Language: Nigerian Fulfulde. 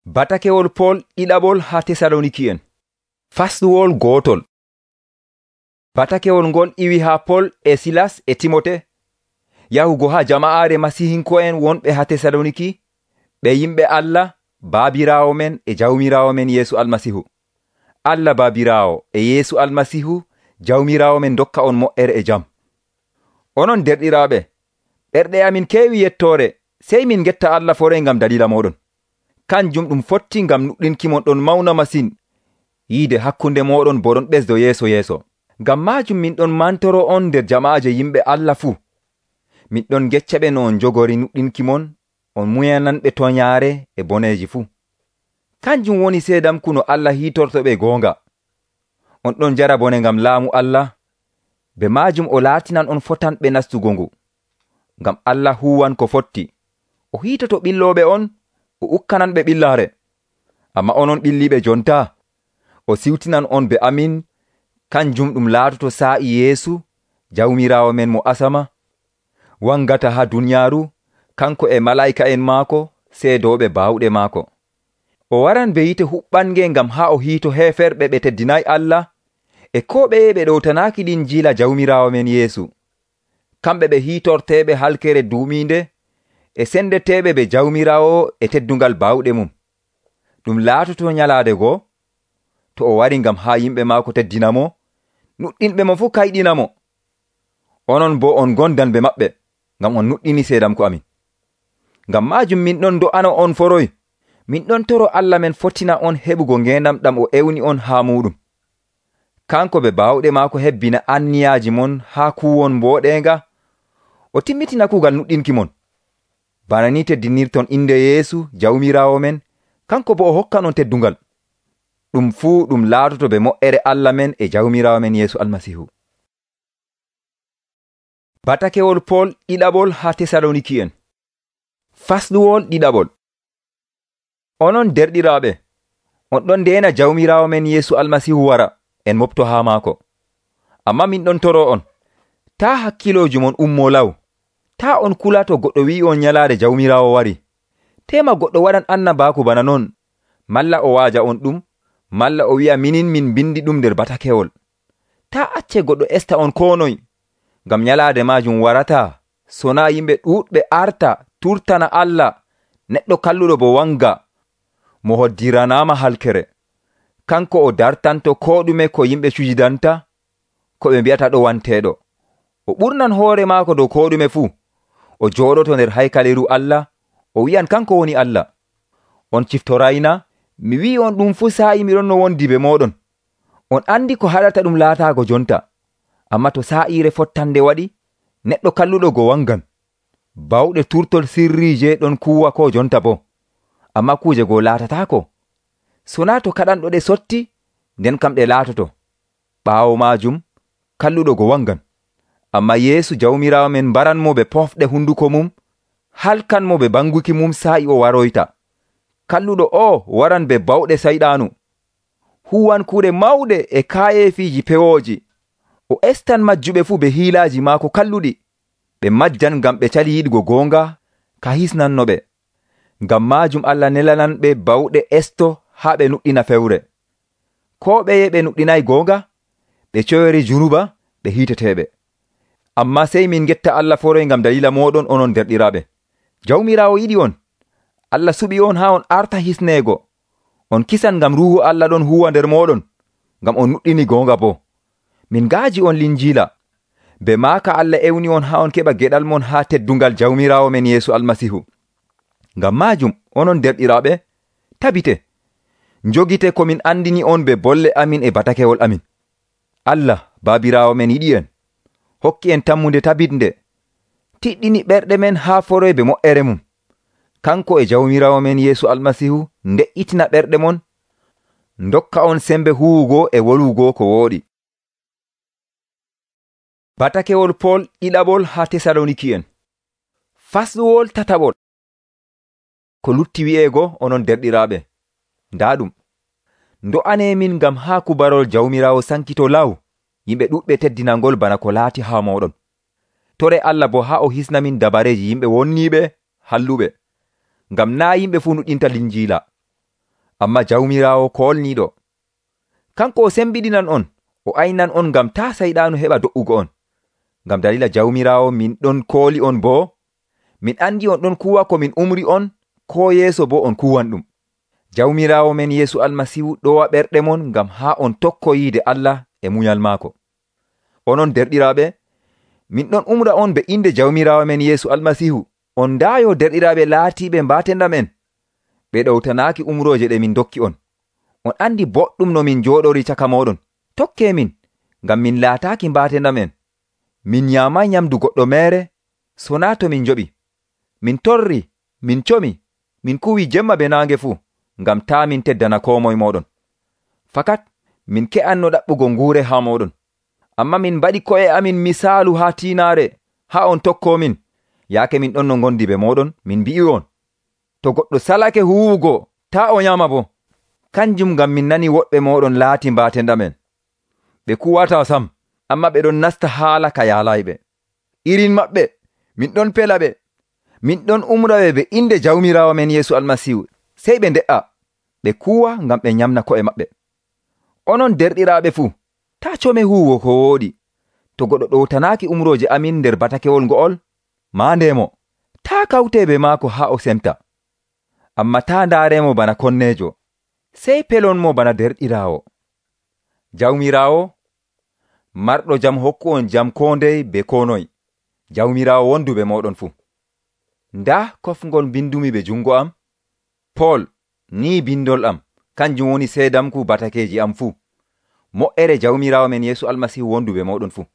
Batakewol Pol ɗiɗaɓol ha Tesaloniki'en. Fasluwol gootol. Batakewol ngol iwi ha Pol e Silas e Timote yahugo ha jama'aare masihinko'en wonɓe ha Tesaloniki, ɓe yimɓe Allah Baabiraawo men e Jawmiraawo men Yeesu Almasihu. Allah Baabiraawo e Yeesu Almasihu Jawmiraawo men dokka on mo'ere e jam. Onon derɗiraaɓe, ɓerɗe amin keewi yettoore, sey min getta Allah forey ngam dalila moɗon. Kanjum ɗum fotti ngam nuɗɗinkimon ɗon mawna masin yiide hakkunde moɗon bo ɗon ɓesdo yeeso. Ngam maajum min ɗon mantoro on nder jama'aaje yimɓe Allah fuu. Min ɗon geccaɓe no on jogori nuɗɗinkimon, on muyananɓe toñaare e boneeji fuu. Kanjum woni seedamku no Allah hiitortoɓe goonga. On ɗon jara bone ngam laamu Allah, be maajum o laatinan on fotanɓe nastugo ngu. Ngam Allah huwan ko fotti, o hiitoto ɓillooɓe on, o ukkananɓe ɓillaare. Amma onon ɓilliiɓe jonta, o siwtinan on be amin, kanjum ɗum laatoto saa'i Yeesu Jawmiraawo men mo asama, wangata ha duniyaaru, kanko e malaa'ika'en maako seedooɓe baawɗe maako. O waran be yite huɓɓange ngam ha o hiito heeferɓe ɓe teddinayi Allah e ko ɓeye ɓe ɗowtanaaki linjiila Jawmiraawo men Yeesu. Kamɓe ɓe hiitorteeɓe halkere duumiinde e sendeteeɓe be Jawmiraawo e teddungal baawɗe mum. Ɗum laatoto nyalaade goo, to o wari ngam ha yimɓe maako teddinamo, nuɗɗinɓe mo fuu kayɗinamo. Onon bo on gondanɓe maɓɓe, ngam on nuɗɗini seedamko amin. Ngam maajum min ɗon do'ano on foroy, min ɗon toro Allah men fottina on heɓugo ngendam ɗam o ewni on ha muɗum. Kanko be baawɗe maako hebbina anniyaaji mon ha kuwon mbooɗenga, o timmitina kuugal nuɗɗinki mon. Bana ni teddinirton inde Yeesu Jawmiraawo men, kanko bo o hokkan on teddungal. Ɗum fuu ɗum laatoto be mo'ere Allah men e Jawmiraawo men Yeesu Almasihu. Batakewol Pol ɗiɗaɓol ha Tesaloniki'en. Fasluwol ɗiɗaɓol. Onon derɗiraaɓe, on ɗon ndeena Jawmiraawo men Yeesu Almasihu wara, en mofto ha maako. Amma min ɗon toro on, taa hakkilooji mon ummo law. Taa on kula to goɗɗo wi'i on nyalaade Jawmiraawo wari. Tema goɗɗo waɗan annabaaku bana non, malla o waaja on ɗum, malla o wi'a min bindi ɗum nder batakewol. Taa acce goɗɗo esta on ko noy, ngam nyalaade maajum warata, sona yimɓe ɗuuɗɓe arta turtana Allah, neɗɗo kalluɗo bo wanga, mo hoddiranaama halkere. Kanko o dartanto ko ɗume ko yimɓe cujidanta, ko ɓe mbi'ata ɗo wanteeɗo. O ɓurnan hoore maako dow ko ɗume fuu. O jooɗoto nder haykaleru Allah, o wi'an kanko woni Allah. On ciftorayna, mi wi'i on ɗum fuu saa'i miɗon no wondi be moɗon. On andi ko haɗata ɗum laataago jonta. Amma to saa'ire fottande waɗi, neɗɗo kalluɗo go wangan. Bawɗe turtol sirriije ɗon kuwa ko jonta bo. Amma kuje go laatatako. Sona to kaɗanɗo ɗe sotti, nden kam ɗe laatoto. Ɓaawo maajum, kalluɗo go wangan. Amma Yeesu Jawmiraawo men baranmo be pofɗe hunduko mum, halkanmo be banguki mum saa'i o waroyta. Kalluɗo o waran be bawɗe sayɗaanu. Huwan kuuɗe mawɗe e kaayefiiji pewooji. O estan majjuɓe fuu be hiilaaji maako kalluɗi. Ɓe majjan ngam ɓe cali yiɗugo goonga, ka hisnanno ɓe. Ngam maajum Allah nelanan ɓe bawɗe esto haa ɓe nuɗɗina fewre. Ko ɓeye ɓe nuɗɗinayi goonga, ɓe coyori junuba, ɓe hiiteteeɓe. Amma sey min getta Allah foroy ngam dalila moɗon onon derɗiraaɓe. Jawmiraawo yiɗi on. Allah suɓi on haa on arta hisneego. On kisan ngam ruuhu Allah ɗon huwa nder moɗon, ngam on nuɗɗini goonga bo. Min ngaaji on linjiila. Be maaka Allah ewni on haa on keɓa geɗal mon haa teddungal Jawmiraawo men Yeesu Almasihu. Ngam maajum onon derɗiraaɓe, tabite. Njogite ko min andini on be bolle amin e batakewol amin. Allah Baabiraawo men yiɗi en. Hokki en tammunde tabitnde. Tiɗɗini ɓerɗe men haa foroybe mo'ere mum. Kanko e Jawmiraawo men Yeesu Almasihu nde'itina ɓerɗe mon, ndokka on sembe huwugo e wolugo ko wooɗi. Batakewol Pol ɗiɗaɓol ha Tesaloniki'en. Fasluwol tataɓol. Ko lutti wi'eego onon derɗiraaɓe, ndaa ɗum. Ndo'ane min ngam haa kubarol Jawmiraawo sankito law, yimɓe ɗuɗɓe teddinangol bana ko laati haa moɗon. Tore Allah bo haa o hisna min dabareji yimɓe wonniiɓe halluɓe, ngam naa yimɓe fuu nuɗɗinta linjiila. Ammaa Jawmiraawo koolniiɗo, kanko o sembiɗinan on, o aynan on ngam taa sayɗaanu heɓa do''ugo on. Ngam dalila Jawmiraawo min ɗon kooli on boo, min andi on ɗon kuwa ko min umri on, koo yeeso boo on kuwan ɗum. Jawmiraawo men Yeesu Almasiihu ɗowa ɓerɗe mon ngam haa on tokko yiide Allah e munyal maako. Onon derɗiraaɓe, min ɗon umra on be inde Jawmiraawo men Yeesu Almasiihu. On ndaayo derɗiraaɓe laatiiɓe mbaatenda men, ɓe ɗowtanaaki umrooje ɗe min dokki on. On andi boɗɗum no min jooɗori caka mooɗon. Tokkee min, ngam min laataaki mbaatenda men. Min nyaamay nyamdu goɗɗo meere, so naa to min njoɓi. Min torri, min comi, min kuwii jemma be naange fuu, ngam taa min teddana koo moye mooɗon. Fakat min ke'anno ɗaɓɓugo nguure haa mooɗon. Amma min mbaɗi ko'e amin misaalu haa tiinaare, haa on tokkoo min. Yaake min ɗon no ngondi be mooɗon, min mbi'i on, to goɗɗo salake huwugo, taa o nyaama boo. Kanjum ngam min nani woɗɓe mooɗon laati mbaatenda men. Ɓe kuwataa sam, amma ɓe ɗon nasta haala ka yaalayɓe. Irin maɓɓe, min ɗon pela ɓe. Min ɗon umraɓe be inde Jawmiraawo men Yeesu Almasiihu, sey ɓe nde'a. Ɓe kuwa ngam ɓe nyamna ko'e maɓɓe. Onon derɗiraaɓe fuu, taa come huwugo ko wooɗi. To goɗɗo ɗowtanaaki umrooje amin nder batakewol ngo'ol, maandemo, taa kawtee be maako haa o semta. Amma taa ndaaremo bana konneejo, sey pelonmo bana derɗiraawo. Jawmiraawo, marɗo jam hokku on jam koo ndey be koo noye. Jawmiraawo wondu be mooɗon fuu. Ndaa kofngol bindumi be jungo am, Pool, ni bindol am, kanjum woni seedamku batakeeji am fuu. Mo'ere Jawmiraawo men Yeesu Almasiihu wondu be mooɗon fuu.